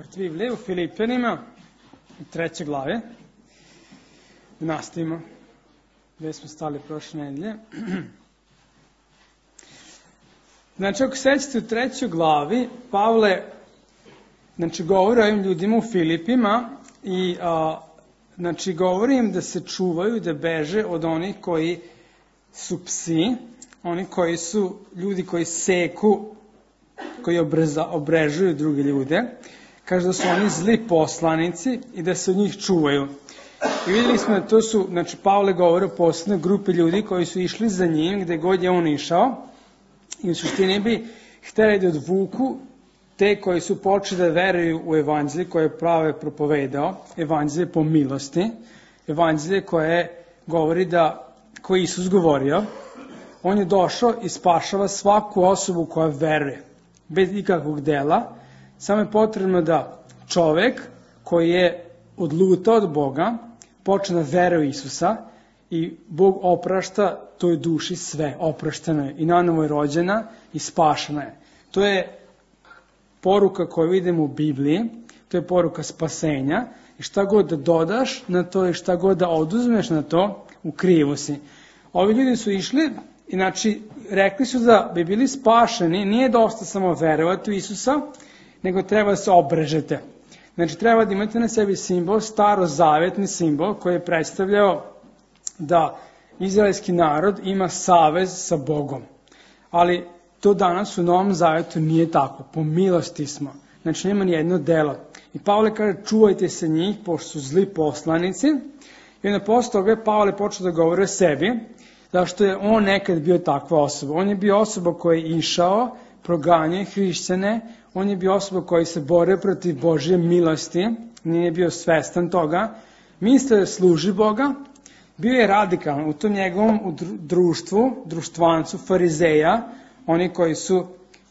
otvoriti Biblije u Filipljanima, u 3. glavi. Nastavimo gde smo stali prošle nedelje. Znači, ako sećate u 3. glavi, Pavle govori o ovim ljudima u Filipima i govori im da se čuvaju, da beže od onih koji su psi, oni koji su ljudi koji seku, koji obrežuju druge ljude. Kaže da su oni zli poslanici i da se od njih čuvaju. I vidjeli smo da to su, Pavle govori o posebnoj grupi ljudi koji su išli za njim gde god je on išao i u suštini bi hteli da odvuku te koji su počeli da veruju u evanđelje koje je prave propovedao, evanđelje po milosti, evanđelje koje govori koje je Isus govorio. On je došao i spašava svaku osobu koja veruje, bez ikakvog dela. Samo je potrebno da čovek koji je odlutao od Boga počne da veruje u Isusa i Bog oprašta toj duši sve, oprašteno je i nanovo je rođena i spašena je. To je poruka koju vidimo u Bibliji, to je poruka spasenja i šta god da dodaš na to i šta god da oduzmeš na to, u krivu si. Ovi ljudi su išli, rekli su da bi bili spašeni, nije dosta samo verovati u Isusa, nego treba da se obrežete. Treba da imate na sebi simbol, starozavetni simbol koji je predstavljao da izraelski narod ima savez sa Bogom. Ali to danas u Novom Zavetu nije tako. Po milosti smo. Nema nijedno delo. I Pavle kaže, čuvajte se njih, pošto su zli poslanici. I onda posle toga je Pavle počeo da govori o sebi, zašto je on nekad bio takva osoba. On je bio osoba koja je išao, proganjao hrišćane, on je bio osoba koji se borio protiv Božje milosti, nije bio svestan toga, mislio da služi Boga, bio je radikalan u tom njegovom društvancu, farizeja, oni koji su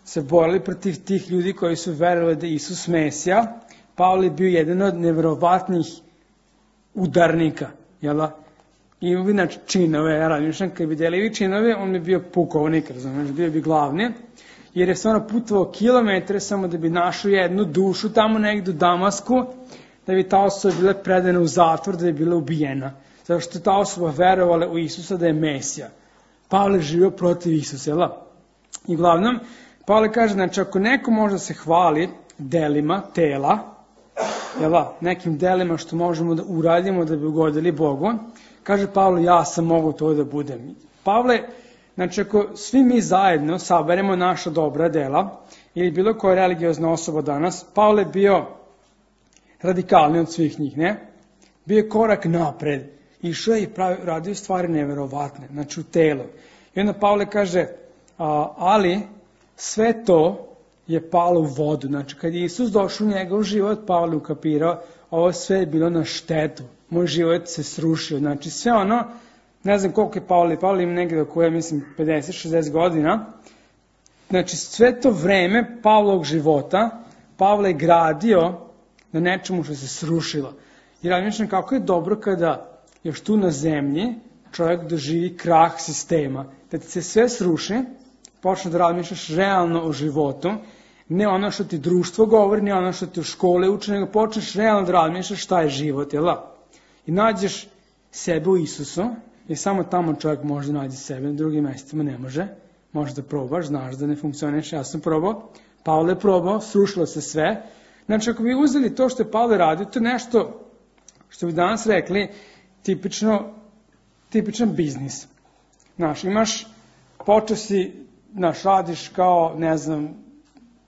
se borili protiv tih ljudi koji su verovali da je Isus Mesija. Pavle je bio jedan od neverovatnih udarnika, jel da? I činove, ja razmišljam, kad bi delili činove, on bi bio pukovnik, bio bi glavni, jer je stvarno putovao kilometre samo da bi našao jednu dušu tamo negdje u Damasku, da bi ta osoba bila predana u zatvor, da bi bila ubijena. Zato što ta osoba verovala u Isusa da je Mesija. Pavle živio protiv Isusa, jel da? I uglavnom, Pavle kaže, ako neko može da se hvali delima tela, jel da, nekim delima što možemo da uradimo da bi ugodili Bogu, kaže Pavle, ja sam mogu to da budem. Pavle, ako svi mi zajedno saberemo naša dobra dela, ili bilo koja religiozna osoba danas, Pavle bio radikalni od svih njih, ne? Bio je korak napred, išao je i radio stvari neverovatne, u telu. I onda Pavle kaže, ali sve to je palo u vodu. Kad je Isus došao u njegov život, Pavle ukapirao, ovo sve je bilo na štetu. Moj život se srušio. Sve ono, ne znam koliko je Pavle ima negdje oko 50-60 godina. Sve to vreme Pavlovog života, Pavle je gradio na nečemu što se srušilo. I razmišljam kako je dobro kada još tu na zemlji čovjek doživi krah sistema. Da ti se sve sruši, počne da razmišljaš realno o životu, ne ono što ti društvo govori, ne ono što ti u škole uče, nego počneš realno da razmišljaš šta je život, jel da? I nađeš sebe u Isusu, jer samo tamo čovjek može da nađe sebe, na drugim mjestima ne može. Možeš da probaš, znaš da ne funkcioniš, ja sam probao, Pavle je probao, srušilo se sve. Ako bi uzeli to što je Pavle radio, to je nešto što bi danas rekli tipičan biznis. Počeo si, radiš kao,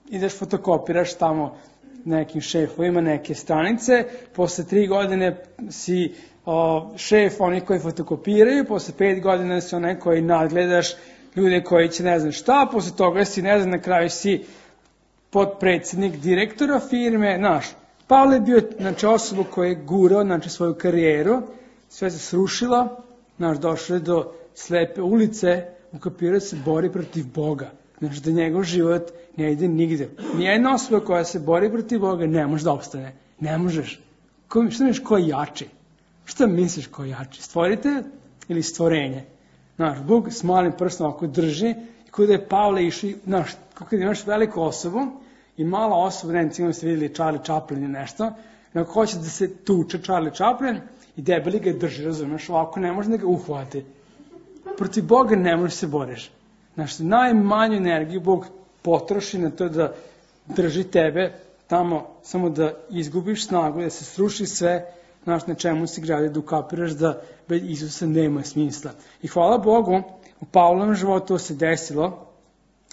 ideš fotokopiraš tamo nekim šefovima neke stranice, posle 3 godine si šef onih koji fotokopiraju, posle 5 godina si onaj koji nadgledaš ljude koji će ne znam šta, posle toga si na kraju si potpredsjednik direktora firme, Pavle je bio osoba koja je gurao svoju karijeru, sve se srušilo, došao je do slepe ulice, ukapirao se bori protiv Boga. Da njegov život ne ide nigde. Nijedna osoba koja se bori protiv Boga ne može da opstane. Ne možeš. Šta misliš ko je jači? Šta misliš ko je jači? Stvoritelj ili stvorenje? Bog s malim prstom ako drži, kada je Pavle išao, kada imaš veliku osobu i mala osoba, recimo ste vidjeli Charlie Chaplin i nešto, nego hoće da se tuče Charlie Chaplin i debeli ga drži, razumeš, ovako ne može da ga uhvati. Protiv Boga ne možeš se boriš. Znaš, najmanju energiju Bog potroši na to da drži tebe tamo, samo da izgubiš snagu, da se sruši sve, znaš, na čemu si gradio, da ukapiraš da bez Isusa nema smisla. I hvala Bogu, u Pavlovom životu to se desilo,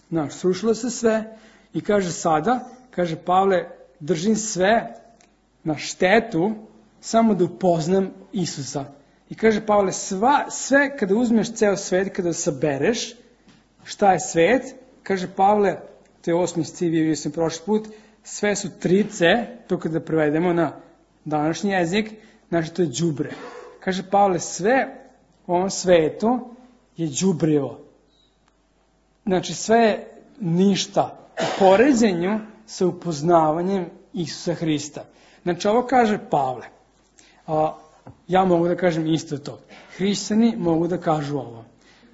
znaš, srušilo se sve i kaže sada, kaže Pavle, držim sve na štetu, samo da upoznam Isusa. I kaže Pavle, sve kada uzmeš ceo svet, kada sabereš, šta je svet, kaže Pavle, to je 8. stih, vidio sam prošli put, sve su 3C, to kada prevedemo na današnji jezik, znači to je đubre. Kaže Pavle, sve u ovom svetu je đubrivo. Znači sve je ništa u poređenju sa upoznavanjem Isusa Hrista. Znači ovo kaže Pavle. Ja mogu da kažem isto to. Hrišćani mogu da kažu ovo.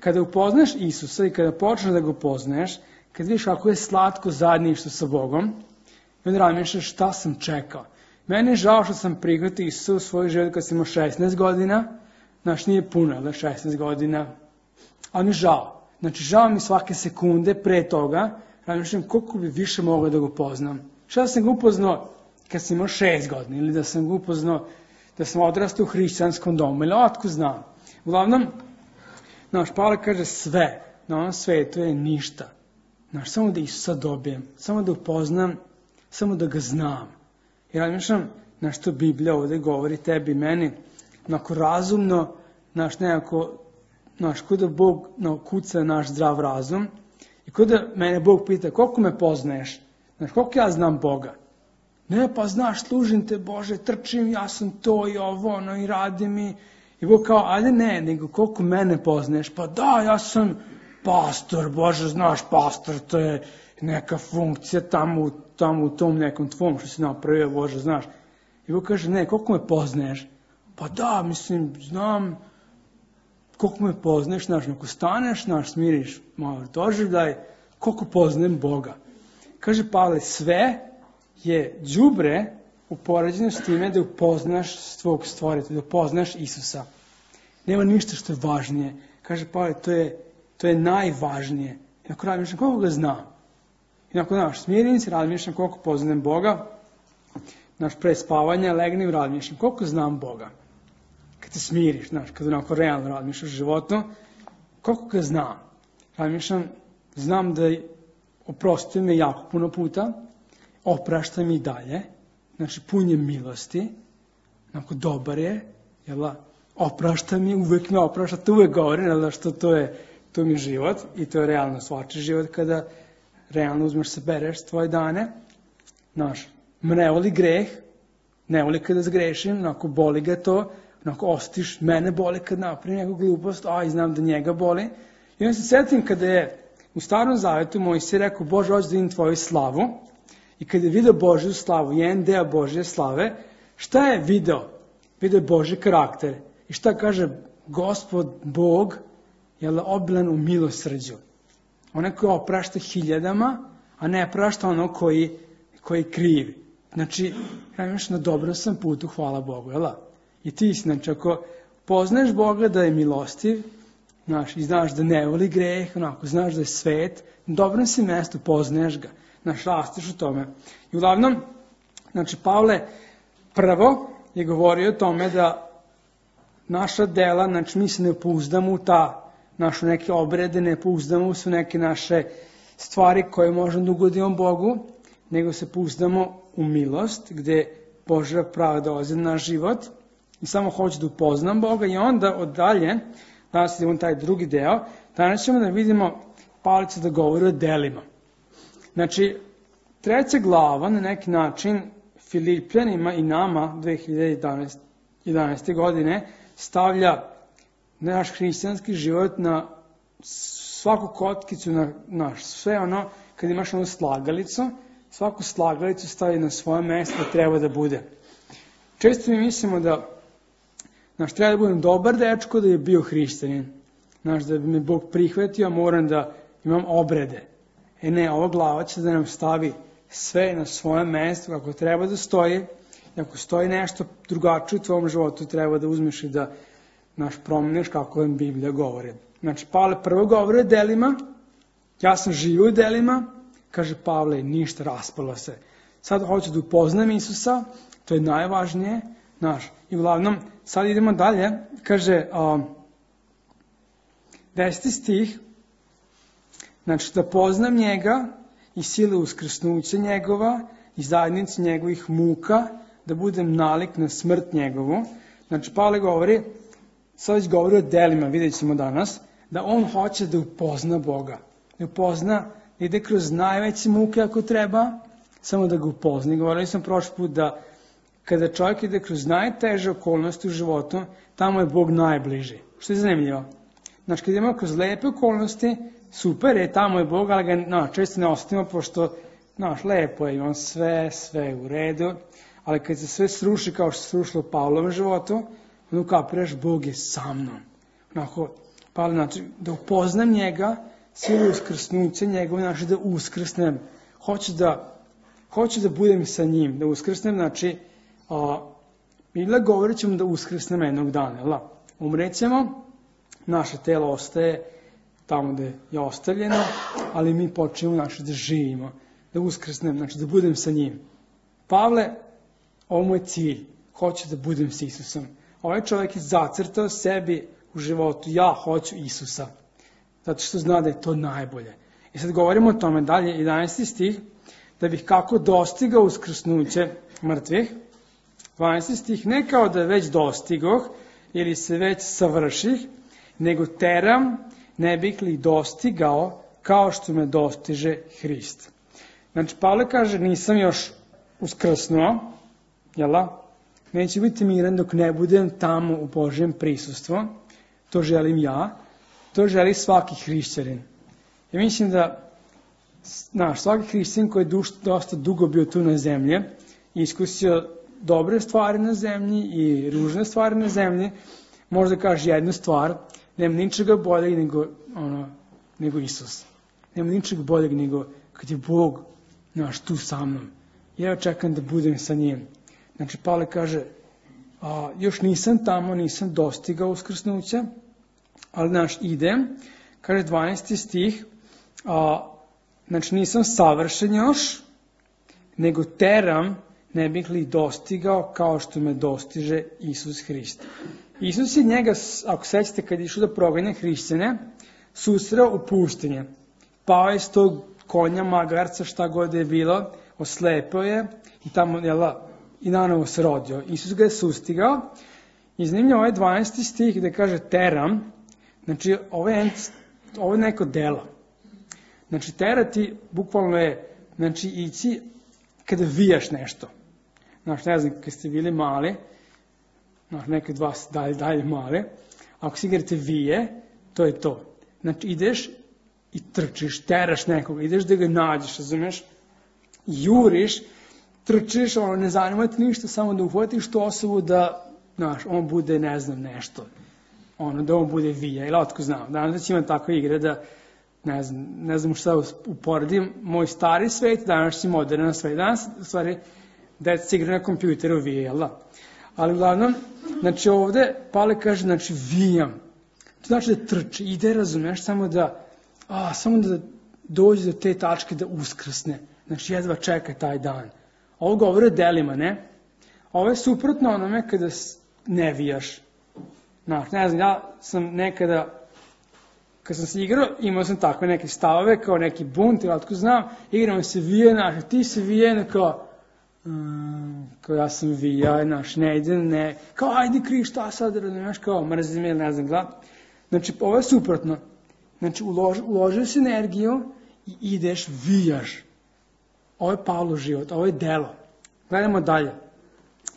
Kada upoznaš Isusa i kada počneš da ga upoznaješ, kad vidiš kako je slatko zajedništvo sa Bogom, i onda razmišljaš šta sam čekao. Meni je žao što sam prihvatio Isusa u svoj život kad sam imao 16 godina, znači nije puno, ali 16 godina, ali mi je žao. Znači žao mi svake sekunde pre toga, razmišljam koliko bi više mogao da ga upoznam. Šta sam ga upoznao kad sam imao 6 godina ili da sam ga upoznao da sam odrastao u hrišćanskom domu, ili otko znam. Uglavnom, naš Pavle kaže sve na ovom svetu je ništa. Znaš, samo da Isusa dobijem, samo da upoznam, samo da ga znam. I razmišljam na što Biblija ovdje govori tebi i meni, onako razumno, nekako, kod da Bog kuca naš zdrav razum i kod da mene Bog pita koliko me poznaješ, znaš, koliko ja znam Boga. Ne, pa znaš, služim te Bože, trčim, ja sam to i ovo, i radim i Bog kao, ali ne, nego koliko mene poznaješ, pa da, ja sam pastor, Bože, znaš, pastor, to je neka funkcija tamo u tom nekom tvom što si napravio, Bože, znaš. I Bog kaže, ne, koliko me poznaješ? Pa da, mislim, znam, koliko me poznaješ, znaš, ako staneš, znaš, smiriš malo doživljaj, koliko poznajem Boga. Kaže Pavle, sve je đubre u poređenju s time da upoznaš svog stvoritelja, da upoznaš Isusa. Nema ništa što je važnije. Kaže Pavle, to je najvažnije. I ako razmišljam, koliko ga znam? I ako, znaš, smirim se, razmišljam koliko poznajem Boga, znaš, pre spavanja, legnem, razmišljam koliko znam Boga. Kad te smiriš, znaš, kad onako realno razmišljaš životno, koliko ga znam? Razmišljam, znam da oprostio me jako puno puta, oprašta mi i dalje, znači pun je milosti, onako dobar je, jel, oprašta mi, uvek me oprašta, to uvek govorim, jel, što to mi je život i to je realno svačiji život kada realno uzmeš se bereš tvoje dane, znaš, ne voli greh, ne voli kada zgrešim, onako boli ga to, onako ostiš, mene boli kad napravim neku glupost, i znam da njega boli. I onda se sjetim kada je u Starom Zavetu Mojsije rekao, Bože, hoću da vidim tvoju slavu, i kada je video Božju slavu, jedan deo Božje slave, šta je video? Video je Božji karakter. I šta kaže Gospod Bog, je obilan u milosrđu. Onaj koji oprašta hiljadama, a ne prašta ono koji krivi. Znači, imaš na dobrom sam putu, hvala Bogu, jel? I ti, znači, ako poznaješ Boga da je milostiv, znaš, i znaš da ne voli greh, onako, znaš da je svet, na dobrom si mjestu, poznaješ ga, znaš, rastiš u tome. I uglavnom, znači, Pavle prvo je govorio o tome da naša dela, znači, mi se ne pouzdamo u naše neke obrede, ne pouzdamo su neke naše stvari koje možemo da ugodimo Bogu, nego se pouzdamo u milost, gde Božja pravda dolazi na naš život i samo hoću da upoznam Boga i onda od dalje, danas idemo taj drugi deo, danas ćemo da vidimo Pavlica da govori o delima. Znači, 3. glava na neki način Filipljanima i nama 2011. godine stavlja naš hrišćanski život na svaku kockicu, na sve ono, kad imaš onu slagalicu, svaku slagalicu stavi na svoje mjesto da treba da bude. Često mi mislimo da treba da budem dobar dečko da je bio hrišćanin. Da bi me Bog prihvatio, moram da imam obrede. Ne, ova glava će da nam stavi sve na svojem mjestu kako treba da stoji. I ako stoji nešto drugačije u tvojom životu, treba da uzmeš i da promeniš kako vam Biblija govori. Znači, Pavle prvo govori o delima, ja sam živio u delima, kaže Pavle, ništa, raspalo se. Sad hoću da upoznam Isusa, to je najvažnije, i uglavnom, sad idemo dalje, kaže, 10. stih, znači da poznam njega i sile uskrsnuća njegova i zajednicu njegovih muka, da budem nalik na smrt njegovu. Znači, Pavle govori, sad već govori o delima, vidjet ćemo danas, da on hoće da upozna Boga. Da upozna, da ide kroz najveće muke ako treba, samo da ga upozna. Govorili sam prošli put da kada čovjek ide kroz najteže okolnosti u životu, tamo je Bog najbliži. Što je zanimljivo? Znači, kad idemo kroz lepe okolnosti, super je, tamo je Bog, ali ga često ne ostavimo, pošto, lepo je, on sve u redu, ali kad se sve sruši kao što se srušilo u Pavlovom životu, onda ukapiraš, Bog je sa mnom. Pavle, znači, da upoznam njega, silu uskrsnuća njegove, znači da uskrsnem. Hoću da budem sa njim, da uskrsnem, znači, Biblia govorit ćemo da uskrsnem jednog dana, umrećemo, naše telo ostaje tamo gde je ostavljeno, ali mi počnemo da živimo, da uskrsnem, znači da budem sa njim. Pavle, ovo mu je cilj, hoće da budem s Isusom. Ovaj čovjek je zacrtao sebi u životu, ja hoću Isusa, zato što zna da je to najbolje. I sad govorimo o tome dalje, 11. stih, da bih kako dostigao uskrsnuće mrtvih, 12. stih, ne kao da već dostigoh ili se već savrših, nego teram, ne bih li dostigao kao što me dostiže Hrist. Znači, Pavle kaže, nisam još uskrsnuo, neće biti miran dok ne budem tamo u Božjem prisustvu, to želim ja, to želi svaki hrišćanin. Ja mislim da svaki hrišćanin koji je dosta dugo bio tu na zemlji, iskusio dobre stvari na zemlji i ružne stvari na zemlji, možda kaže jednu stvar, nema ničega boljeg nego Isus. Nema ničega boljeg nego kad je Bog tu sa mnom. Ja čekam da budem sa njim. Znači, Pavle kaže, još nisam tamo, nisam dostigao uskrsnuća, ali idem, kaže 12. stih, znači nisam savršen još, nego teram, ne bih li dostigao kao što me dostiže Isus Hrist. Isus je njega, ako sećate, kad je išao da proganja hrišćane, susreo u pustinje. Pao je s tog konja, magarca, šta god je bilo, oslepeo je i tamo, i nanovo se rodio. Isus ga je sustigao. I zanimljivo ovaj 12. stih gde kaže teram, znači ovo je neko delo. Znači terati bukvalno je, znači ići kada vijaš nešto. Znači ne znam, kad ste bili mali, neki od vas dalje mali, ako si igrate vije, to je to. Znači ideš i trčiš, teraš nekoga, ideš da ga nađeš, razumeš, juriš, trčiš, ne zanima te ništa, samo da uhvatiš tu osobu da, on bude, ne znam, nešto, da on bude vija, ili otko znam, danas će imam takve igre da, ne znam šta uporedim, moj stari svet, danas će moderna svet, danas, u stvari, deca igra na kompjuteru vije, jel da? Ali uglavnom, znači ovde, Pavle kaže, znači vijam, to znači da trči, ide, razumeš, samo da dođe do te tačke da uskrsne, znači jedva čeka taj dan. Ovo govori o delima, ne? Ovo je suprotno onome kada ne vijaš. Ne znam, ja sam nekada, kad sam se igrao, imao sam takve neke stavove, kao neki bunt, ili otko znam, igramo se vije, ti se vije, kao ja sam vija, ne idem, ne, kao ajde kri, šta sad, razumiješ, kao mrzim ili ne znam, glad. Znači, ovo je suprotno. Znači, uložiš energiju i ideš, vijaš. Ovo je Pavlov život, ovo je delo. Gledamo dalje.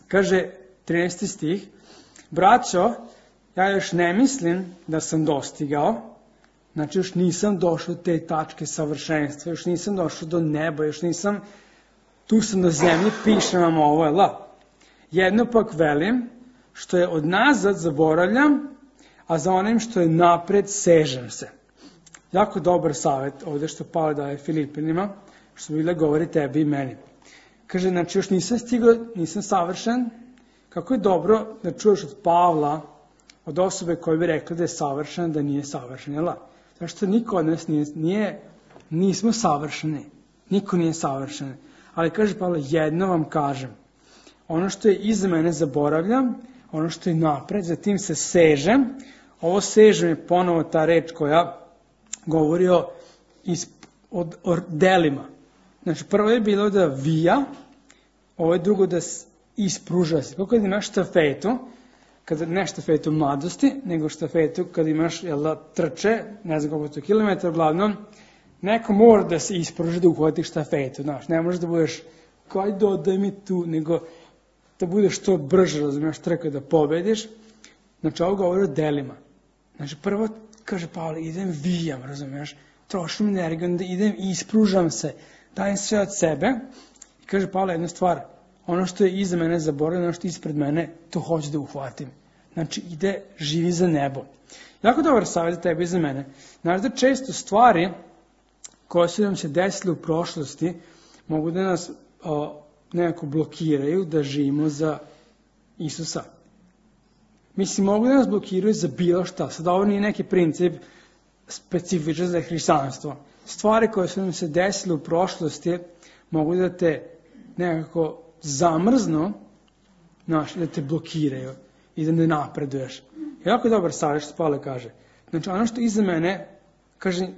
Kaže 13. stih, braćo, ja još ne mislim da sam dostigao, znači još nisam došao do te tačke savršenstva, još nisam došao do neba, još nisam, tu sam na zemlji, pišem vam ovo, jedno pak velim, što je od nazad zaboravljam, a za onim što je napred sežem se. Jako dobar savjet ovdje što Pavle daje Filipinima, što Biblija govori tebi i meni. Kaže, znači još nisam stigao, nisam savršen. Kako je dobro da čuješ od Pavla, od osobe koja bi rekla da je savršen, da nije savršen, jel? Zašto niko od nas nismo savršeni. Niko nije savršen. Ali kaže Pavle, jedno vam kažem. Ono što je iza mene zaboravljam, ono što je napred, zatim se sežem. Ovo sežem je ponovo ta reč koja govori o delima. Znači, prvo je bilo da vija, ovo je drugo da ispruža se. Kako da imaš štafetu, ne štafetu mladosti, nego štafetu kada imaš trče, ne znam koliko to kilometra, uglavnom, neko mora da se ispruži da uhvati štafetu. Znaš, ne možeš da budeš, kaj dodaj mi tu, nego da budeš što brže, razumiješ, trka da pobediš. Znači, ovo govori o delima. Znači, prvo, kaže Pavle, idem vijam, razumiješ, trošim energiju, onda idem i ispružam se, dajem sve od sebe. I kaže Pavle jednu stvar, ono što je iza mene zaboravljeno, ono što je ispred mene, to hoću da uhvatim. Znači, živi za nebo. Jako dobar savjet za tebe i za mene. Znaš da često stvari koje su nam se desile u prošlosti mogu da nas nekako blokiraju da živimo za Isusa. Mislim, mogu da nas blokiraju za bilo šta. Sad ovo nije neki princip specifičan za hrišćanstvo. Stvari koje su nam se desile u prošlosti mogu da te nekako zamrznu, da te blokiraju i da ne napreduješ. Jako dobar savjet što Pavle kaže. Znači, ono što iza mene,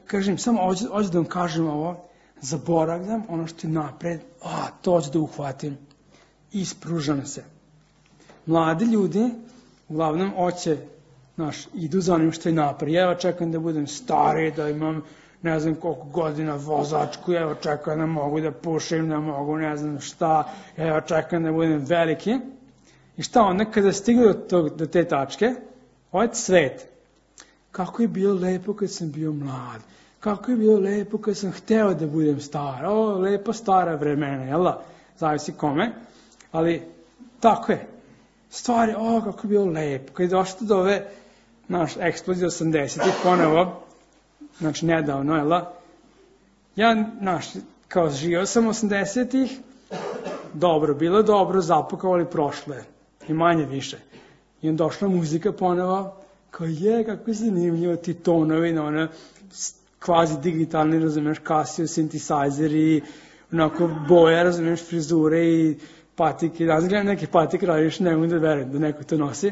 kažem, samo ovdje da vam kažem ovo, zaboravljam ono što je napred, to ću da uhvatim. Ispružam se. Mladi ljudi, uglavnom, idu za onim što je napred. Evo čekam da budem stari, da imam ne znam koliko godina vozačku, evo čekam da mogu da pušim, da mogu ne znam šta, evo čekam da budem veliki. I šta onda kada stigu do te tačke, ovaj svet, kako je bilo lepo kad sam bio mlad, kako je bilo lepo kad sam hteo da budem star, lepo stara vremena, jel da? Zavisi kome, ali tako je. Stvari, kako je bilo lepo, kad je došlo do ove, eksplozije 80-ih ponovo, znači nedavno, jel da? Ja, kao živio sam 80-ih, bilo dobro, zapukao, ali prošlo je. I manje više. I onda došla muzika ponovo, kao kako je zanimljivo ti tonovi, kvazi digitalni, razumiješ, Casio, synthesizeri, onako boja, razumiješ, frizure i patike. Ja gledam neke patike, radiš, ne mogu da verujem da neko to nosi.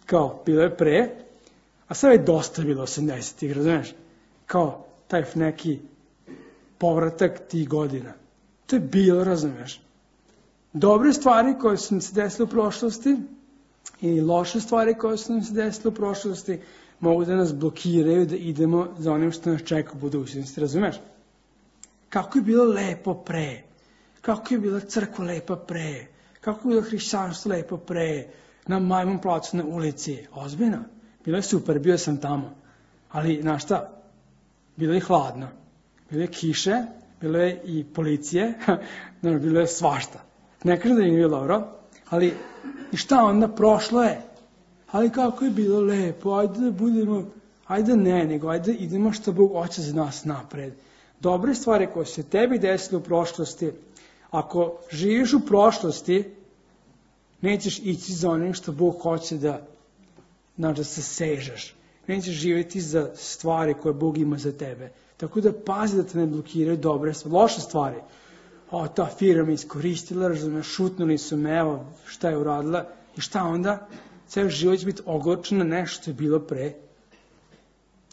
Kao, bilo je pre, a sve je dosta bilo 80-ih, razumiješ? Kao, taj neki povratak tih godina. To je bilo, razumiješ? Dobre stvari koje su nam se desile u prošlosti i loše stvari koje su nam se desile u prošlosti mogu da nas blokiraju da idemo za onim što nas čeka u budućnosti, razumeš? Kako je bilo lepo pre, kako je bila crkva lepa pre, kako je bilo hrišćanstvo lepo pre, na Majmun placu na ulici, ozbiljno, bilo je super, bio sam tamo, ali znaš šta, bilo je hladno, bilo je kiše, bilo je i policije, bilo je svašta. Ne kažem da nije bilo dobro, ali i šta onda, prošlo je. Ali kako je bilo lepo, ajde da budemo, ajde nego ajde idemo što Bog hoće za nas napred. Dobre stvari koje se tebi desile u prošlosti, ako živiš u prošlosti, nećeš ići za onim što Bog hoće da se sežeš. Nećeš živjeti za stvari koje Bog ima za tebe. Tako da pazi da te ne blokiraju dobre stvari, loše stvari. Ta firma me iskoristila, razumiješ, šutnuli su me, evo šta je uradila i šta onda? Ceo život će biti ogorčen na nešto što je bilo pre.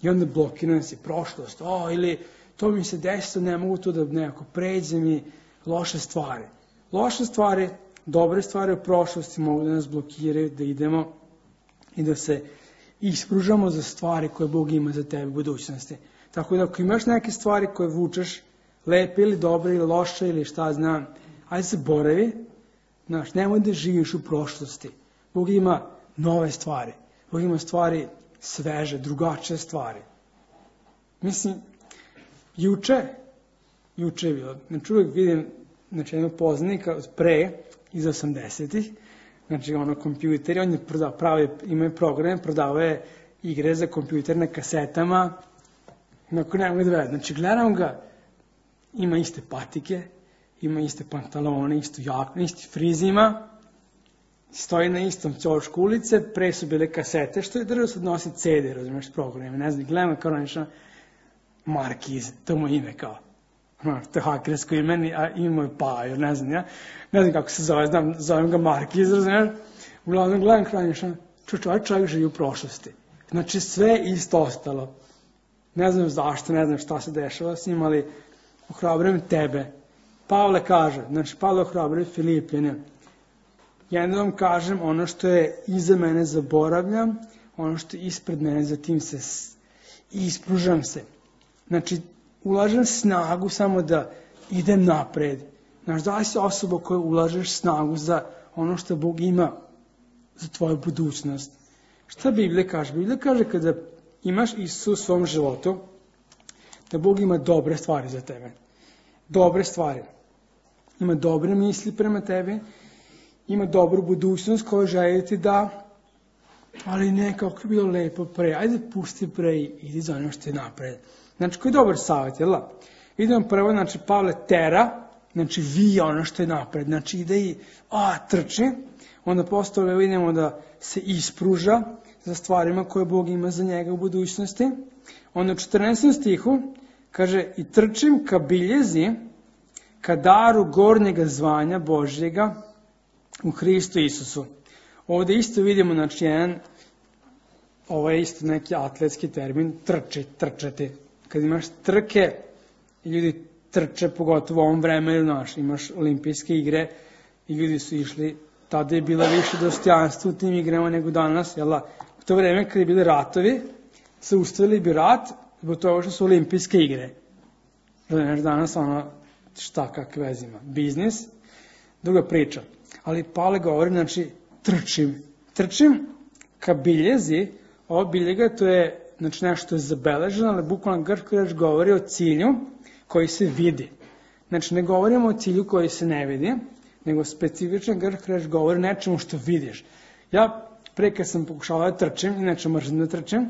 I onda blokiran si prošlost. Ili to mi se desilo, ne mogu to da nekako pređem i loše stvari. Loše stvari, dobre stvari u prošlosti mogu da nas blokiraju, da idemo i da se ispružamo za stvari koje Bog ima za tebe u budućnosti. Tako da ako imaš neke stvari koje vučeš, lepe ili dobre ili loše ili šta znam, ajde se boravi, nemoj da živiš u prošlosti. Bog ima nove stvari. Bog ima stvari sveže, drugačije stvari. Mislim, juče je bilo, znači uvijek vidim jednog poznanika od pre, iz 80-ih, znači kompjuteri, on je imaju programe, prodavao je igre za kompjuter na kasetama, ne mogu da verujem. Znači gledam ga, ima iste patike, ima iste pantalone, istu jaknu, isti friz ima, stoji na istom ćošku ulice, pre su bile kasete, što je držao sad nosi CD, razumiješ, programe, ne znam, gledamo kao nešto Markiz, to mu ime kao. To je hakersko ime, a ime je Pajo, ne znam, ja. Ne znam kako se zove, zovem ga Markiz, razumiješ? Uglavnom gledam kao nešto, čovjek živi u prošlosti. Znači sve isto ostalo. Ne znam zašto, ne znam šta se dešava s njim, ali ohrabrujem tebe. Pavle kaže, znači Pavle ohrabruje Filipljane. Ja ne vam kažem, ono što je iza mene zaboravljam, ono što je ispred mene, zatim se ispružam se. Znači, ulažem snagu samo da idem napred. Znaš, da li si osoba koja ulažeš snagu za ono što Bog ima za tvoju budućnost? Šta Biblija kaže? Biblija kaže kada imaš Isusa u svom životu, da Bog ima dobre stvari za tebe. Dobre stvari. Ima dobre misli prema tebi, ima dobru budućnost koju želi ti da, ali ne, kako je bilo lepo pre, ajde pusti pre i idi za ono što je napred. Znači, koji je dobar savjet, jel da? Idemo prvo, znači, Pavle tera, znači, vija ono što je napred, znači, ide i, trči, onda postole vidimo da se ispruža za stvarima koje Bog ima za njega u budućnosti. Onda u 14. stihu kaže, i trčim ka biljezi, ka daru gornjega zvanja Božjega u Hristu Isusu. Ovdje isto vidimo, znači, ovo je isto neki atletski termin, trčati. Kad imaš trke, ljudi trče, pogotovo u ovom vremenu, znaš, imaš olimpijske igre i ljudi su išli, tada je bilo više dostojanstva u tim igrama nego danas, jel da? U to vreme kad je bili ratovi, zaustavili bi rat zbog toga što su olimpijske igre. Znaš, danas šta kakve veze ima? Biznis, druga priča. Ali Pavle govori, znači, trčim ka biljezi, ovo biljega to je, znači, nešto je zabeleženo, ali bukvalno grčka reč govori o cilju koji se vidi. Znači, ne govorimo o cilju koji se ne vidi, nego specifična grčka reč govori nečemu što vidiš. Ja pre kad sam pokušala da trčim, inače mrzim da trčim,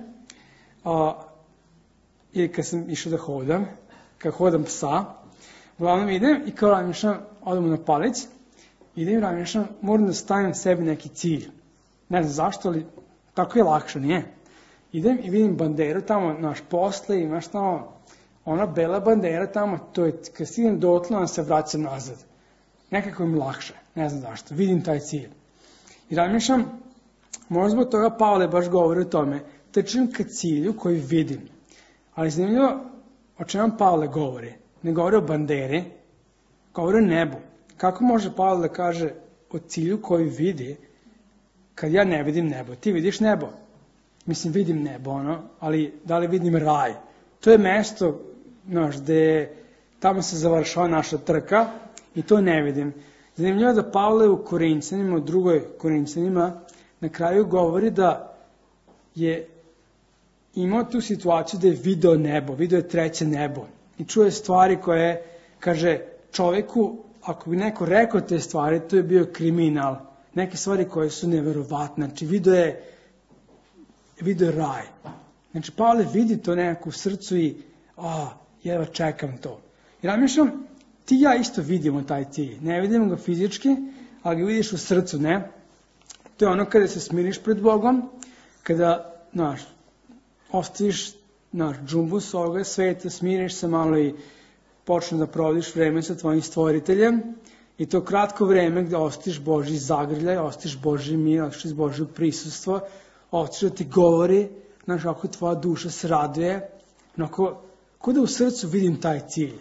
ili kad sam išao da hodam, kad hodam psa, uglavnom idem i kao razmišljam, odemo na palic, idem i razmišljam, moram da stavim sebi neki cilj. Ne znam zašto, ali tako je lakše, nije? Idem i vidim banderu tamo, naš posle, imaš tamo, ona bela bandera tamo, to je, kad stignem dotle, onda se vraćam nazad. Nekako mi lakše, ne znam zašto, vidim taj cilj. I razmišljam, možda zbog toga Pavle baš govori o tome, trčim ka cilju koji vidim. Ali zanimljivo, o čemu Pavle govori? Ne govori o banderi, govori o nebu. Kako može Pavle da kaže o cilju koji vidi, kad ja ne vidim nebo? Ti vidiš nebo? Mislim, vidim nebo, ali da li vidim raj? To je mesto, gde tamo se završava naša trka i to ne vidim. Zanimljivo da Pavle u Korinćanima, u drugoj Korinćanima, na kraju govori da je imao tu situaciju da je video nebo, video je treće nebo i čuje stvari koje, kaže, čoveku, ako bi neko rekao te stvari, to je bio kriminal. Neke stvari koje su neverovatne. Znači, video je raj. Znači, Pavle vidi to nekako u srcu i, jedva čekam to. I razmišljam, ti i ja isto vidimo taj cilj. Ne vidimo ga fizički, ali ga vidiš u srcu, ne? To je ono kada se smiriš pred Bogom, kada, ostaviš, džumbus ovoga sveta, smiriš se malo i počne da provodiš vreme sa tvojim stvoriteljem i to kratko vreme gde ostiš Božji zagrljaj, ostiš Božji mir, ostiš Božje prisustvo, ostiš da ti govori, kako tvoja duša se raduje, ko da u srcu vidim taj cilj,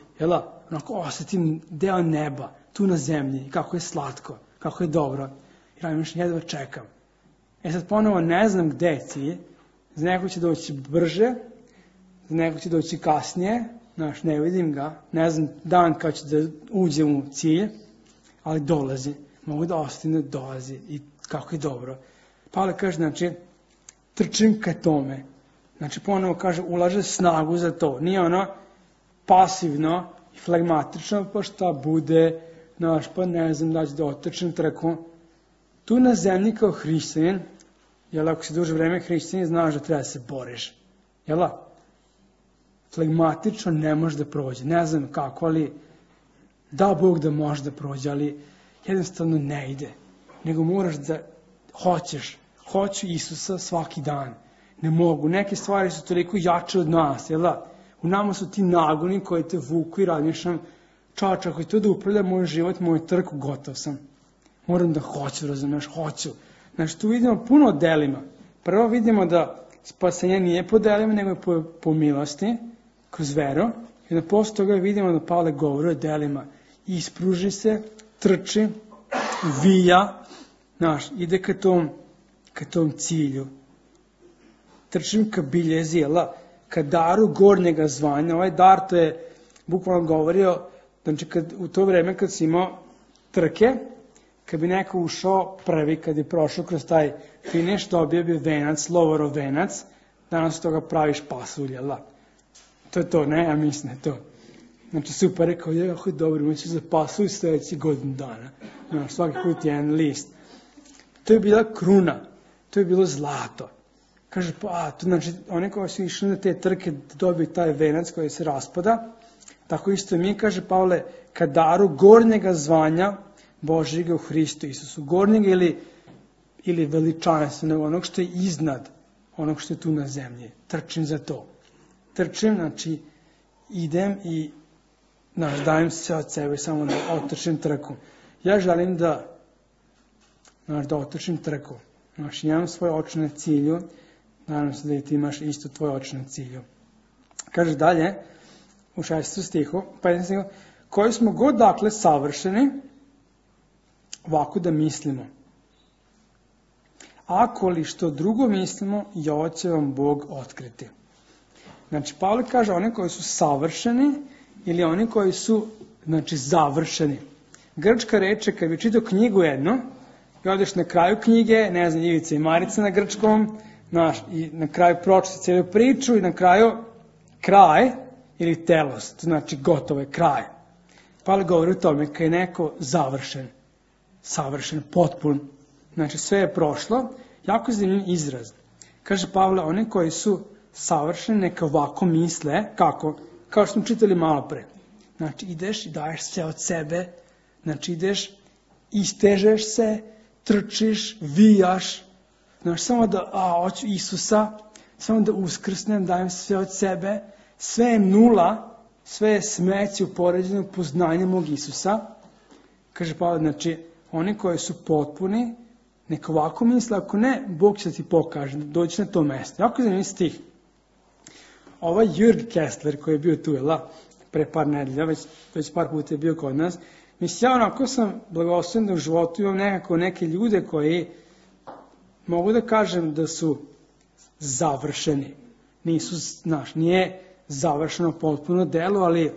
osetim deo neba, tu na zemlji, kako je slatko, kako je dobro, i razmišljam, jedva čekam. Sad ponovo ne znam gde je cilj, za neko će doći brže, za neko će doći kasnije, ne vidim ga, ne znam dan kad će da uđem u cilj, ali dolazi, mogu da ostanem da dolazi i kako je dobro. Pavle kaže, znači, trčim ka tome, znači ponovo kaže, ulaže snagu za to, nije pasivno i flegmatično, pa šta bude, pa ne znam da ću da otrčim trku. Tu na zemlji kao hrišćanin, jer ako si duže vreme hrišćanin, znaš da treba da se boriš, jel da? flegmatično ne može da prođe. Ne znam kako, ali da Bog da može da prođe, ali jednostavno ne ide. Nego moraš da hoćeš. Hoću Isusa svaki dan. Ne mogu. Neke stvari su toliko jače od nas, jel da? U nama su ti nagoni koji te vuku i razmišljam, čovječ, ako je to da upravlja moj život, moj trku, gotov sam. Moram da hoću, razumeš, hoću. Znači, tu vidimo puno delima. Prvo vidimo da spasenje nije po delima, nego je po milosti, kroz veru. I da posle toga vidimo da Pavle govori o delima. Ispruži se, trči, vija, znaš, ide ka tom cilju. Trčim ka biljezi, ka daru gornjega zvanja. Ovaj dar, to je bukvalno govorio, znači u to vreme kad si imao trke, kad bi neko ušao prvi, kad je prošao kroz taj finiš, dobio bi venac, lovorov venac, danas toga praviš pasulj, To je to, ne? Ja mislim da je to. Znači super, rekao, jako je dobro, moći za pasulj sljedeći godinu dana. Znaš, svaki put jedan list. To je bila kruna, to je bilo zlato. Kaže, to znači, oni koji su išli na te trke da dobiju taj venac koji se raspada, tako isto mi, kaže Pavle, ka daru gornjega zvanja Božjega u Hristu Isusu. Gornjega ili veličanstvenog, onog što je iznad onog što je tu na zemlji. Trčim za to. Trčim, znači, idem i dajem se od sebe samo da otrčim trku. Ja želim da otrčim trku. Znači, imam svoje oči na cilju, nadam se da i ti imaš isto tvoje oči na cilju. Kaže dalje, u 6. stihu, 15. stihu, koji smo god dakle savršeni, ovako da mislimo. Ako li što drugo mislimo, i ovo će vam Bog otkriti. Znači, Pavle kaže oni koji su savršeni ili oni koji su, znači, završeni. Grčka reče, kad bi čitao knjigu jednu, i odeš na kraju knjige, ne znam, Ivica i Marica na grčkom, i na kraju pročiti cijelu priču i na kraju kraj ili telos, to znači gotovo je kraj. Pavle govori o tome kad je neko završen, savršen, potpun, znači sve je prošlo, jako zanimljiv izraz. Kaže Pavle, oni koji su savršeni neka ovako misle, kako? Kao što smo čitali malo pre. Znači ideš i daješ sve od sebe, znači ideš, istežeš se, trčiš, vijaš, znači samo da, hoću Isusa, samo da uskrsnem, dajem sve od sebe, sve je nula, sve je smeće u poređenju poznanja mog Isusa. Kaže Pavle, znači, oni koji su potpuni, neka ovako misle, ako ne, Bog će ti pokaže, doći na to mesto. Jako zanimljiv stih. Ovaj Jürg Kessler koji je bio tu, pre par nedelja, već par puta je bio kod nas, mislim, ja onako sam blagosloven da u životu imam nekako neke ljude koji mogu da kažem da su završeni. Nisu, nije završeno potpuno delo, ali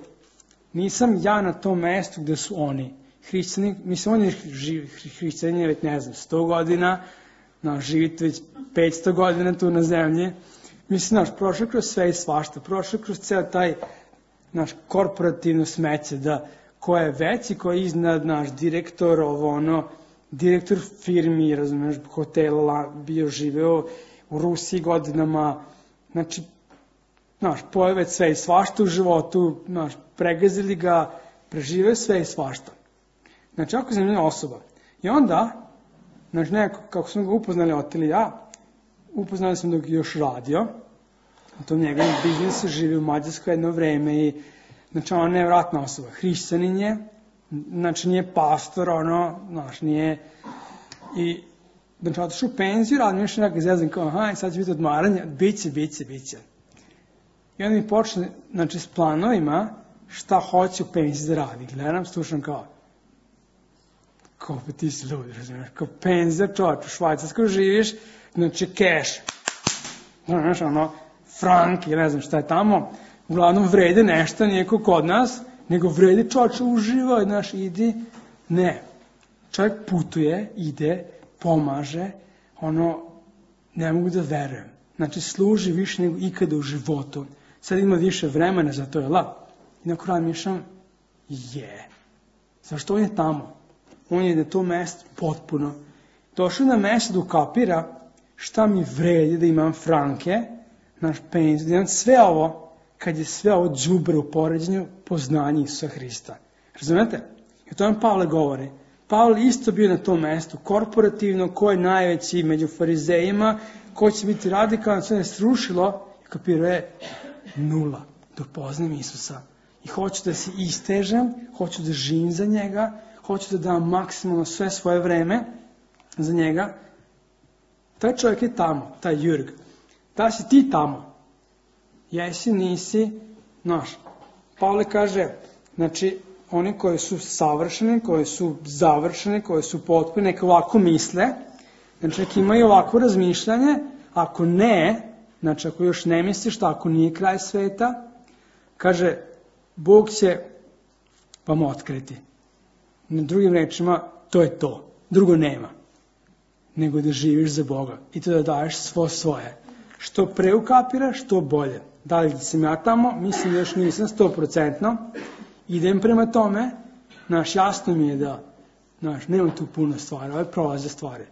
nisam ja na tom mestu gde su oni. Hrišćani, mislim, oni hrišćani već, ne znam, 100 godina, živite već 500 godina tu na zemlji. Mislim, prošao kroz sve i svašta, prošao kroz ceo taj korporativno smeće, da ko je veći, ko je iznad naš direktor, direktor firmi, razumeš, hotela, bio živeo u Rusiji godinama, znači, pojeo već sve i svašta u životu, pregazili ga, preživeo sve i svašta. Znači, jako zanimljiva osoba. I onda, neko, kako smo ga upoznali, oteli ja, upoznali smo dok je još radio, u tom njegovom biznisu, živi u Mađarskoj jedno vreme i, znači, ona je nevratna osoba. Hrišćanin je, znači, nije pastor, nije, i, znači, otišu u penziju, radim još nekako zezam, kao, sad će biti odmaranje, biće. I onda mi počne, znači, s planovima, šta hoće u penziji da radi. Gledam, slušam kao pa ti si ljudi, razumiješ, kao penzija, čovječ, u Švajcarskoj živiš, znači, keš, znaš, frank, i ne znam šta je tamo, uglavnom vrede nešto, nije ko kod nas, nego vrede čovječ, uživaj, znaš, idi, ne, čovjek putuje, ide, pomaže, ne mogu da verujem, znači, služi više nego ikada u životu, sad ima više vremena za to, i na kraju mišljam, zašto on je tamo? On je na to mesto potpuno. Došao na mesto da ukapira šta mi vredi da imam franke, naš penziju, da imam sve ovo, kad je sve ovo đubre u poređenju poznanja Isusa Hrista. Razumete? I o tome Pavle govori. Pavle isto bio na tom mestu, korporativno, ko je najveći među farizejima, ko će biti radikalno, sve je srušilo, i kapirao je 0, da upoznam Isusa. I hoću da se istežem, hoću da živim za njega, hoću da dam maksimalno sve svoje vreme za njega. Taj čovjek je tamo, taj Jurg. Da si ti tamo? Jesi, nisi, znaš. Pavle kaže, znači, oni koji su savršeni, koji su završeni, koji su potpuni, neka ovako misle, znači neka imaju ovako razmišljanje, ako ne, znači ako još ne misliš, ako nije kraj sveta, kaže, Bog će vam otkriti. Na drugim rečima, to je to. Drugo nema. Nego da živiš za Boga i to da daješ svo svoje. Što pre ukapiraš, to bolje. Da li sam ja tamo? Mislim da još nisam 100%. Idem prema tome. Jasno mi je da nema tu puno stvari. Ove prolaze stvari.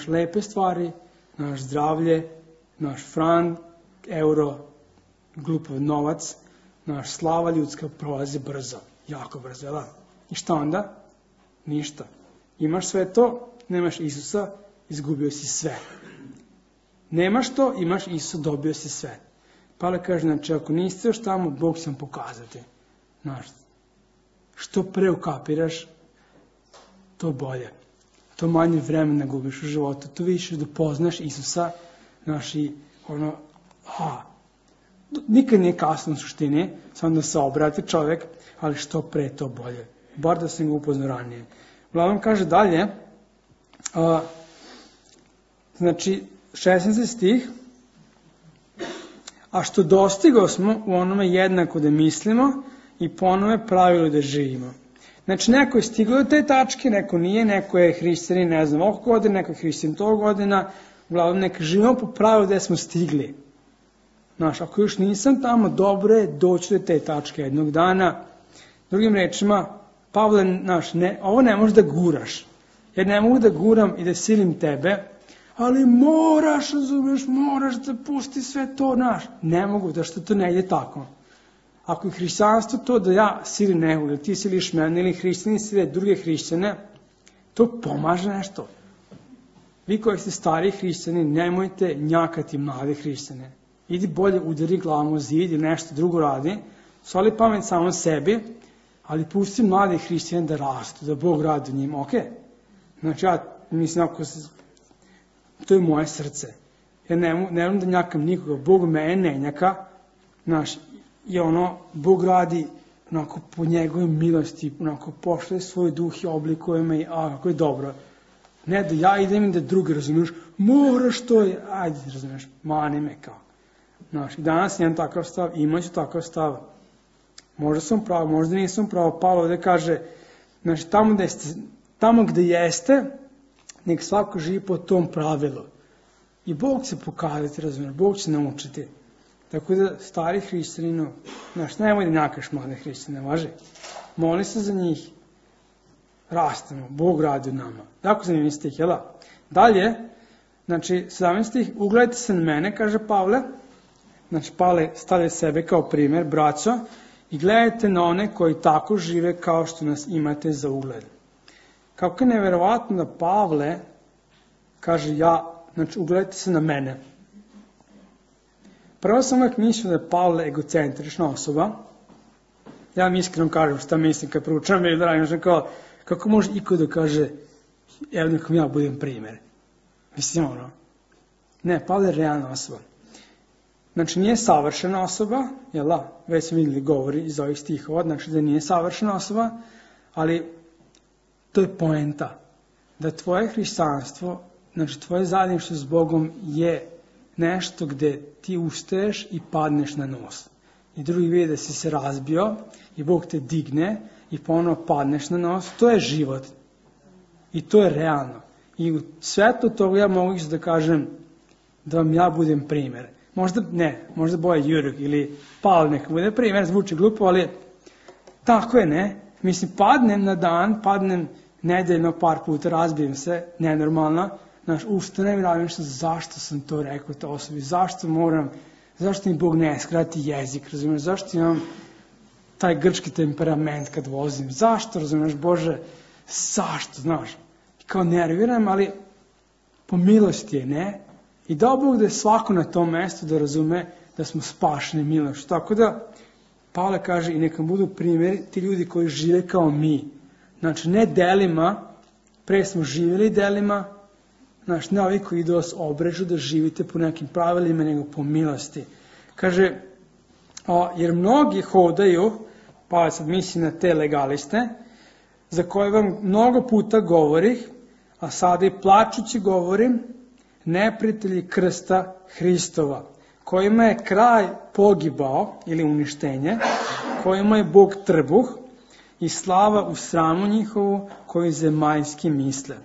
Lepe stvari, zdravlje, frank, euro, glupav novac, slava ljudska prolazi brzo. Jako brzo, jel da? I šta onda? Ništa. Imaš sve to, nemaš Isusa, izgubio si sve. Nemaš to, imaš Isusa, dobio si sve. Pavle kaže, znači, ako niste još tamo, Bog će vam pokazati. Što pre ukapiraš, to bolje. To manje vremena gubiš u životu, to više da poznaš Isusa, nikad nije kasno u suštini, samo da se obrati čovjek, ali što pre to bolje. Bar da sam ga upoznao ranije. Uglavnom kaže dalje, znači 16. stih, a što dostigo smo u onome jednako da mislimo i po onome pravilu da živimo. Znači neko je stigao do te tačke, neko nije, neko je hrišćanin, ne znam, ovog godina, neko je hrišćanin tog godina, uglavnom neka živimo po pravilu gde smo stigli. Ako još nisam tamo, dobro je doći do te tačke jednog dana. Drugim rečima, Pavle, ovo ne možeš da guraš. Jer ne mogu da guram i da silim tebe, ali moraš, razumeš, moraš da pusti sve to, Ne mogu, da što to ne ide tako. Ako je hrišćanstvo to da ja silim nekog, ili ti siliš mene, ili hrišćani sile druge hrišćane, to pomaže nešto. Vi koji ste stari hrišćani, nemojte njakati mlade hrišćane. Idi bolje udari glavom u zid ili nešto drugo radi, soli pamet samo sebi, ali pusti mlade hrišćane da rastu, da Bog radi u njima, ok? Znači ja mislim, to je moje srce. Ja ne volim da njakam nikoga, Bog mene ne njaka, i Bog radi po njegovoj milosti, pošle svoj duh i oblikuje me, kako je dobro. Ne da ja idem i da drugi, razumiješ, moraš to, ajde, razumiješ, mani me kao. I danas imam takav stav, imaću takav stav. Možda sam pravo, možda nisam pravo. Pavle ovdje kaže, tamo gde jeste, nek svako živi po tom pravilu. I Bog će pokazati, razumiješ, Bog će naučiti. Tako da, stari hrišćaninu, nemoj da njakaš mlade hrišćane, važi. Moli se za njih, rastemo, Bog radi u nama. Tako zanimljiv stih, jel da? Dalje, 17 stih, ugledajte se na mene, kaže Pavle. Pavle stavlja sebe kao primjer, braćo, i gledajte na one koji tako žive kao što nas imate za ugled. Kako je neverovatno da Pavle kaže ugledajte se na mene. Prvo sam uvijek mislio da je Pavle egocentrična osoba. Ja mi iskreno kažem šta mislim kad proučavam ili radim, kako može iko da kaže, evo nekom ja budem primjer. Mislim, ne, Pavle je realna osoba. Nije savršena osoba, jel da, već smo vidjeli govori iz ovih stihova, da nije savršena osoba, ali to je poenta. Da tvoje hrišćanstvo, tvoje zajedništvo s Bogom je nešto gde ti ustaješ i padneš na nos. I drugi vidi da si se razbio i Bog te digne i ponovno padneš na nos. To je život. I to je realno. I u svetu toga ja mogu da kažem da vam ja budem primjer. Možda Boja Jurg ili Pavle neka bude primjer, zvuči glupo, ali tako je, ne? Mislim, padnem na dan, padnem nedeljno par puta, razbijem se, nenormalno, ustanem i radim što, zašto sam to rekao to osobi, Zašto mi Bog ne skrati jezik, razumiješ? Zašto imam taj grčki temperament kad vozim? Zašto, razumiješ, Bože? Zašto, znaš? Kao nerviram, ali po milosti je, ne? I dao Bog da je svako na tom mestu da razume da smo spašeni milošću. Tako da, Pavle kaže, i neka budu primjeri ti ljudi koji žive kao mi. Znači, ne delima, pre smo živjeli delima, znači, ne ovi koji idu vas obrežu da živite po nekim pravilima, nego po milosti. Kaže, jer mnogi hodaju, pa sad mislim na te legaliste, za koje vam mnogo puta govorih, a sada i plačući govorim, neprijatelji krsta Hristova, kojima je kraj pogibao ili uništenje, kojima je Bog trbuh i slava u sramu njihovu koji zemaljski misle.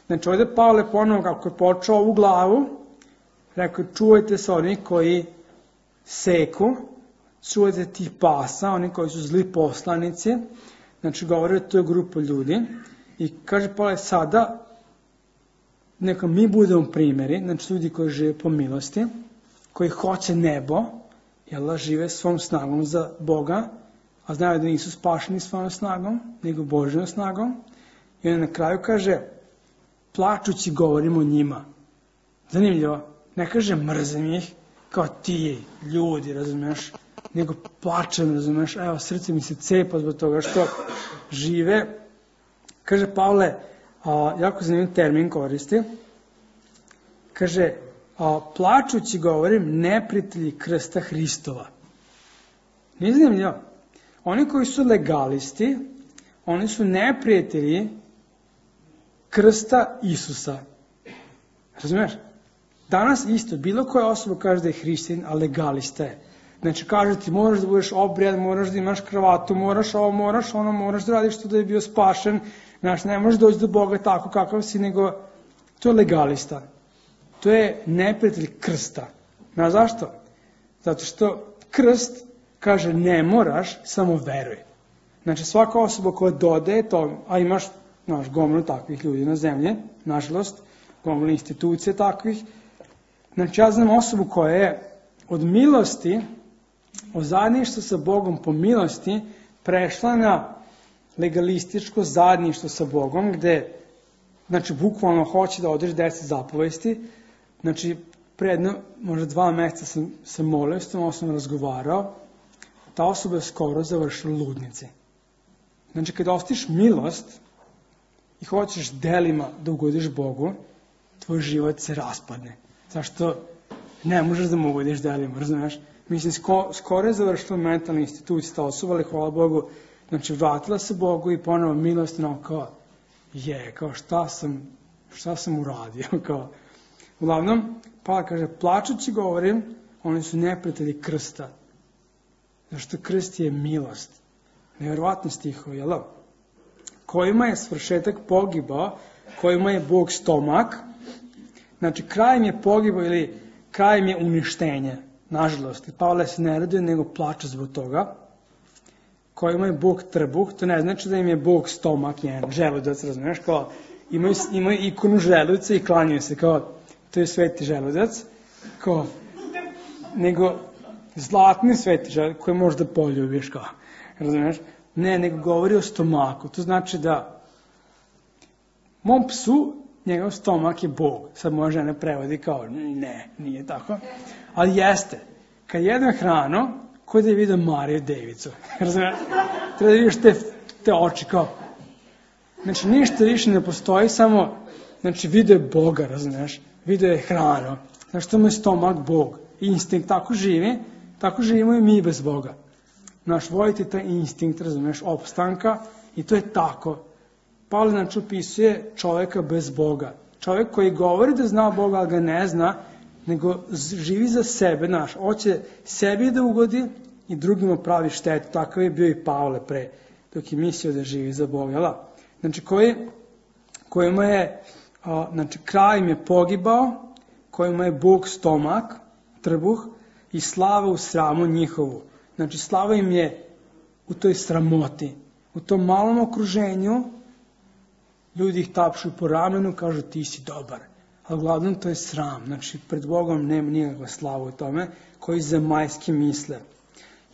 Znači ovdje Pavle ponovo kako je počeo ovu glavu, rekao čuvajte se oni koji seku, čuvajte tih pasa, oni koji su zli poslanici, znači govore o toj grupu ljudi i kaže Pavle sada neka mi budemo primjeri, znači ljudi koji žive po milosti, koji hoće nebo, jel, žive svom snagom za Boga, a znaju da nisu spašeni svojom snagom, nego Božjom snagom. I on na kraju kaže, plačući govorimo o njima. Zanimljivo, ne kaže mrzim ih, kao ti ljudi, razumiješ, nego plačem, razumiješ, evo srce mi se cepa zbog toga što žive. Kaže Pavle, jako zanimljiv termin koristi, kaže, plačući govorim neprijatelji krsta Hristova. Nije zanimljivo? Oni koji su legalisti, oni su neprijatelji krsta Isusa. Razumiješ? Danas isto, bilo koja osoba kaže da je hrišćanin, a legalista je. Znači kaže ti moraš da budeš obrijad, moraš da imaš kravatu, moraš ovo, moraš ono, moraš da radiš to da je bio spašen. Znači ne možeš doći do Boga tako kakav si, nego to je legalista. To je neprijatelj krsta. Znaš zašto? Zato što krst kaže ne moraš, samo veruj. Znači svaka osoba koja dodaje to, a imaš gomilu takvih ljudi na zemlji, nažalost, gomilu institucije takvih. Znači ja znam osobu koja je od milosti, od zajedništva sa Bogom po milosti, prešla na legalističko zajedništvo sa Bogom, gde, znači, bukvalno hoće da održi 10 zapovesti. Znači, predno, možda 2 mjeseca sam se molio, s tom osobom razgovarao, ta osoba je skoro završila u ludnici. Znači, kada ostiš milost i hoćeš delima da ugodiš Bogu, tvoj život se raspadne. Zašto ne možeš da mu ugodiš delima, razumiješ? Mislim, skoro je završila mentalna institucija ta osoba, ali hvala Bogu, znači, vratila se Bogu i ponovo milost, kao, šta sam uradio, kao. Uglavnom, Pavle kaže, plačući govorim, oni su neprijatelji krsta. Zašto krst je milost. Nevjerovatno stihovi, jel? Kojima je svršetak pogibao, kojima je Bog stomak. Znači, krajem je pogibao ili krajem je uništenje. Nažalost, Pavle se ne raduje, nego plače zbog toga. Kojima je Bog trbuh, to ne znači da im je Bog stomak, jedan želudac, razumiješ, kao imaju ikonu želudaca i klanjaju se, kao to je sveti želudac, kao, nego zlatni sveti želudac koji možda poljubiš, kao, razumiješ, ne, nego govori o stomaku, to znači da mom psu, njegov stomak je Bog, sad moja žena prevodi kao, ne, nije tako, ali jeste, kad jedem hranu, ko da je vidio Mariju Devicu, razumiješ, treba da vidiš te oči, kao, znači ništa više ne postoji, samo, znači vidio je Boga, razumiješ, vidio je hranu, znači što mu je stomak Bog, instinkt, tako živimo i mi bez Boga. Naš voliti taj instinkt, razumiješ, opstanka i to je tako. Pavle znači opisuje čovjeka bez Boga. Čovjek koji govori da zna Boga, ali ga ne zna, nego živi za sebe, hoće sebi da ugodi i drugima pravi štetu. Takav je bio i Pavle pre, dok je mislio da živi za Boga. Znači, kojima je, znači, kraj im je pogibao, kojima je Bog stomak, trbuh, i slava u sramu njihovu. Znači, slava im je u toj sramoti, u tom malom okruženju, ljudi ih tapšu po ramenu, kažu ti si dobar, ali uglavnom to je sram. Znači, pred Bogom nema nikakva slava u tome, koji zemaljski misle.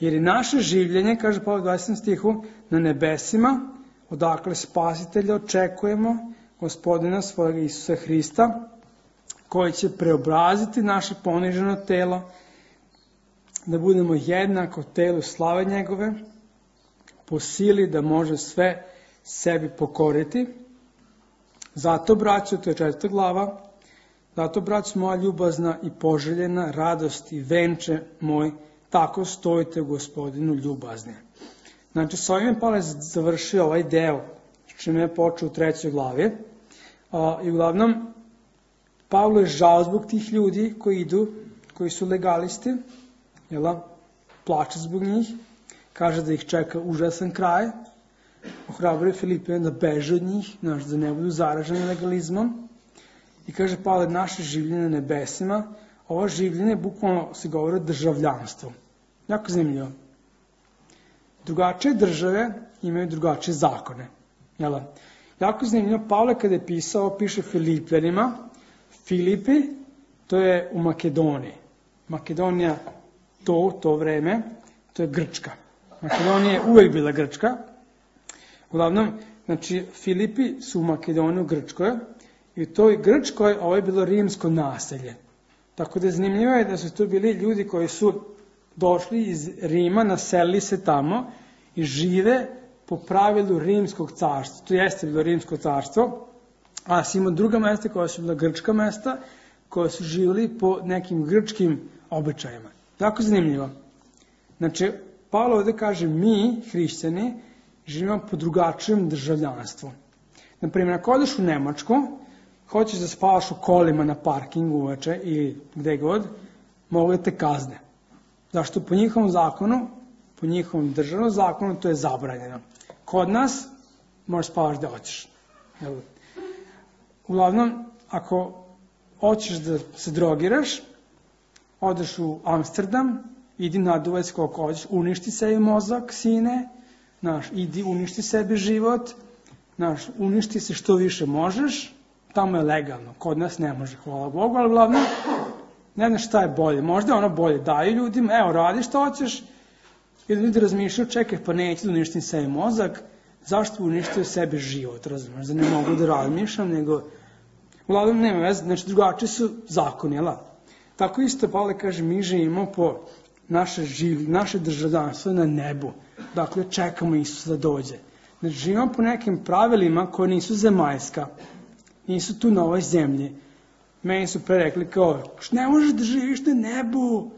Jer je naše življenje, kaže Pavle u 20. stihu, na nebesima, odakle spasitelja očekujemo, Gospodina svojega Isusa Hrista, koji će preobraziti naše poniženo telo, da budemo jednako telu slave njegove, po sili da može sve sebi pokoriti. Zato, braćo, to je 4. glava, zato, braćo moja ljubazna i poželjena, radost i venče moj, tako stojite u Gospodinu ljubazni. Znači, s ovim je Pavle završio ovaj deo, čime je počeo u 3. glavi. I uglavnom, Pavlo je žao zbog tih ljudi koji idu, koji su legalisti, plače zbog njih, kaže da ih čeka užasan kraj, ohrabruje Filipijane da beže od njih, da ne budu zaraženi legalizmom. I kaže Pavle, naše življenje na nebesima, ovo življenje bukvalno se govori o državljanstvu. Jako zanimljivo. Drugačije države imaju drugačije zakone. Jako zanimljivo, Pavle kada je pisao, piše Filipljanima. Filipi, to je u Makedoniji. Makedonija, to vreme, to je Grčka. Makedonija je uvek bila Grčka. Uglavnom, znači, Filipi su u Makedoniji, u Grčkoj, i u toj Grčkoj ovo je bilo rimsko naselje. Tako da zanimljivo je da su tu bili ljudi koji su došli iz Rima, naselili se tamo i žive po pravilu rimskog carstva. To jeste bilo rimsko carstvo, a si imao druga mesta koja su bila grčka mesta, koja su živjeli po nekim grčkim običajima. Jako zanimljivo. Znači, Pavle ovdje kaže, mi, hrišćani, živimo po drugačijem državljanstvu. Naprimjer, ako odeš u Nemačku, hoćeš da spavaš u kolima na parkingu uveče ili gde god, mogu da te kazne. Zašto? Po njihovom zakonu, po njihovom državnom zakonu, to je zabranjeno. Kod nas, možeš spavaš gde hoćeš. Uglavnom, ako hoćeš da se drogiraš, odeš u Amsterdam, idi naduvaj se koliko hoćeš, uništi sebi mozak, sine, idi uništi sebi život, uništi se što više možeš, tamo je legalno, kod nas ne može, hvala Bogu, ali uglavnom, ne znam šta je bolje, možda je ono bolje, daju ljudima, evo radi što hoćeš, i da ljudi razmišljaju, čekaj, pa neću da uništim sebi mozak, zašto uništio sebi život, razumiješ, da ne mogu da razmišljam, nego, uglavnom nema veze, znači drugačiji su zakoni, jel? Tako isto Pavle kaže, mi živimo po naše državljanstvo na nebu, dakle čekamo Isusa da dođe. Znači živimo po nekim pravilima koje nisu zemaljska, nisu tu na ovoj zemlji. Meni su pre rekli kao, ne možeš da živiš na nebu,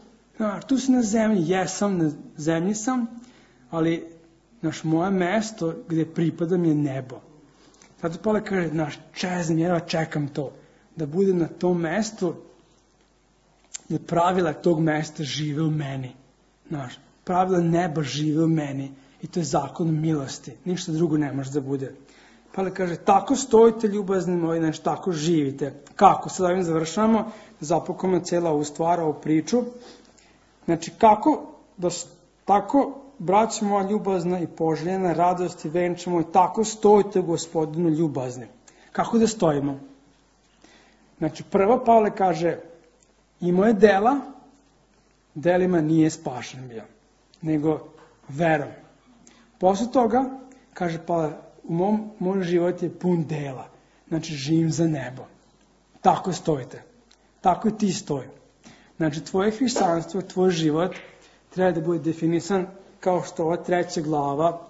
tu si na zemlji, jesam, na zemlji sam, ali moje mesto gde pripadam je nebo. Zato Pavle kaže, čezam, ja čekam to, da bude na tom mestu, da pravila tog mesta žive u meni. Pravila neba žive u meni i to je zakon milosti. Ništa drugo ne može da bude. Pavle kaže, tako stojite ljubazni moji, znači tako živite. Kako? Sad ovim završavamo, zapakujemo cijela ovu stvar, ovu priču. Znači kako, tako, braćo moja ljubazna i poželjena, radost i venče moj, tako stojite Gospodinu ljubazni. Kako da stojimo? Znači prvo Pavle kaže, imao je dela, delima nije spašen bio, nego verom. Posle toga, kaže Pavle, moj život je pun dela, znači živim za nebo. Tako stojite, tako i ti stoji. Znači tvoje hrišćanstvo, tvoj život treba da bude definisan kao što ova 3. glava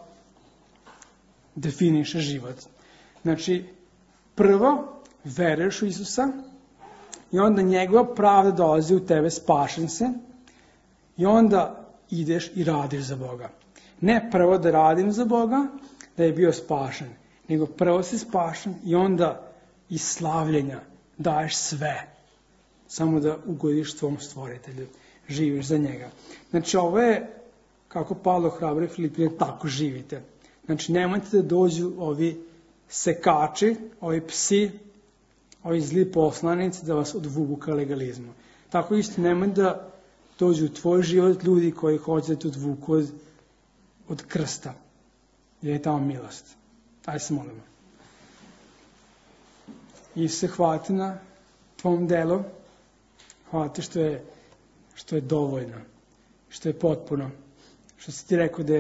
definiše život. Znači, prvo veruješ u Isusa, i onda njegova pravda dolazi u tebe, spašen se, i onda ideš i radiš za Boga. Ne prvo da radim za Boga, da je bio spašen, nego prvo si spašen i onda iz slavljenja daješ sve, samo da ugodiš tvom stvoritelju, živiš za njega. Znači ovo je, kako Pavle ohrabruje Filipijane, tako živite. Znači nemojte da dođu ovi sekači, ovi psi, ovi zli poslanici da vas odvuku ka legalizmu. Tako isto nemoj da dođu u tvoj život ljudi koji hoće da te odvuku od krsta. Jer je tamo milost. Ajde se molimo. I se hvati na tvom delu. Hvala ti što je dovoljno, što je potpuno, što si ti rekao da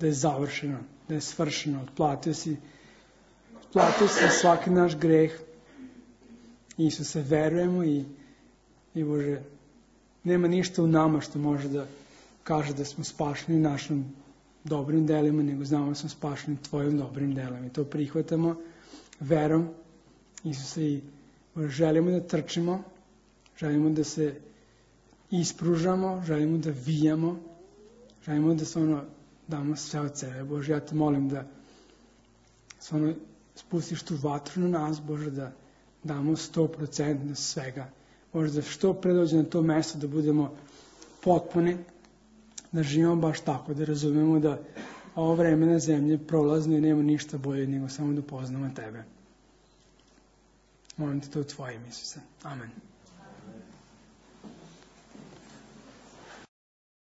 je završeno, da je svršeno, otplatio si svaki naš greh. Isuse, verujemo i Bože, nema ništa u nama što može da kaže da smo spašeni našim dobrim delima, nego znamo da smo spašeni tvojim dobrim delima. I to prihvatamo verom, Isuse, i Bože, želimo da trčimo, želimo da se ispružamo, želimo da vijamo, želimo da stvarno damo sve od sebe. Bože, ja te molim da stvarno spustiš tu vatru na nas, Bože, da damo 100% svega. Bože, da što pre dođe na to mesto, da budemo potpuni, da živimo baš tako, da razumemo da ovo vreme na zemlji je prolazno i nema ništa bolje nego samo da upoznamo tebe. Molim te to u tvojim, Isuse. Amen.